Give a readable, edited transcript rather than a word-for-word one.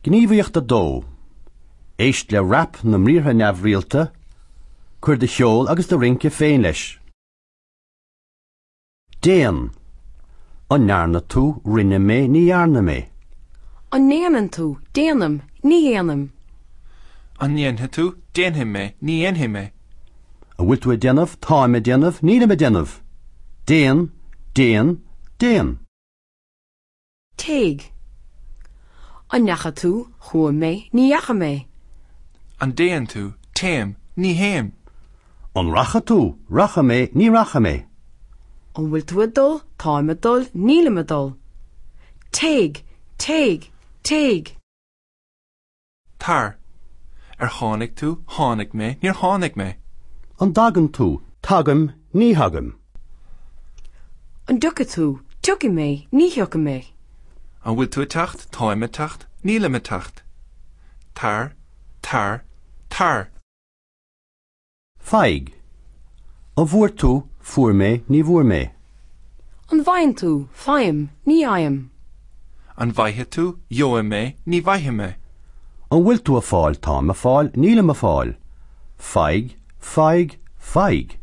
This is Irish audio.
Gníomhaíocht 2. Éist le rap na mbriathra neamhrialta, cuir do cheol agus do rince féin leis. Déan. An ndearna tú, rinne mé, ní dhearna mé. An ndéanann tú, déanaim, ní dhéanaim. An ndéanfaidh tú, déanfaidh mé, ní dhéanfaidh mé. An bhfuil tú ag déanamh, táim ag déanamh, nílim ag déanamh. Déan, déan, déan. Téigh. An ndeachaigh tú, chuaigh mé, ní dheachaigh mé. An dtéann tú, téim, ní théim. An rachaidh tú, rachaidh mé, ní rachaidh mé. An bhfuil tú ag dul, táim ag dul, nílim ag dul. Téigh, téigh, téigh. Tar. Ar tháinig tú, tháinig mé, níor tháinig mé. An dtagann tú, tagaim, ní thagaim. An dtiocfaidh tú, tiocfaidh mé, ní thiocfaidh mé. An bhfuil tú ag teacht, táim ag teacht, nílim ag teacht. Tar, tar, tar. Faigh. An bhfuair tú, fuair mé, ní bhfuair mé. An bhfaigheann tú, faighim, ní fhaighim. An bhfaighidh tú, gheobhaidh mé, ní bhfaighidh mé. An bhfuil tú ag fáil, táim ag fáil, nílim ag fáil. Faigh, faigh, faigh.